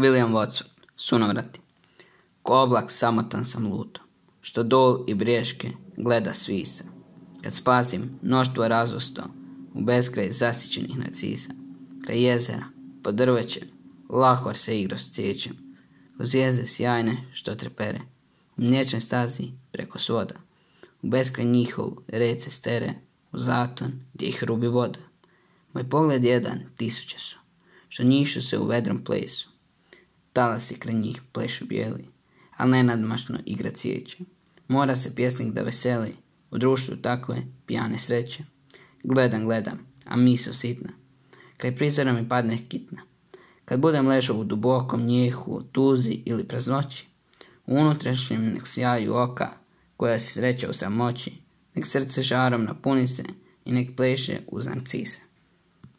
William Wordsworth, Sunovrati. Ko oblak samotan sam luto, što dol i briješke gleda svisa. Kad spazim mnoštvo razosto u beskraj zasićenih narcisa. Kraj jezera, pod drvećem, lahor se igro s cvijećem. Kroz zvijezde sjajne što trepere, u mliječnoj stazi preko svoda. U beskraj njihovu rece stere, u zaton gdje ih rubi voda. Moj pogled jedan, tisuće su, što njišu se u vedrom plesu. Talasi kraj njih plešu bijeli, al nenadmašno igra cvijeće. Mora se pjesnik da veseli u društvu takve pijane sreće. Gledam, a misao sitna, kraj prizora mi padne kitna. Kad budem ležao u dubokom njehu, tuzi ili praznoći, u unutrašnjem nek sjaju oka, koja se sreće u samoći, nek srce žarom napuni se i nek pleše uz narcise.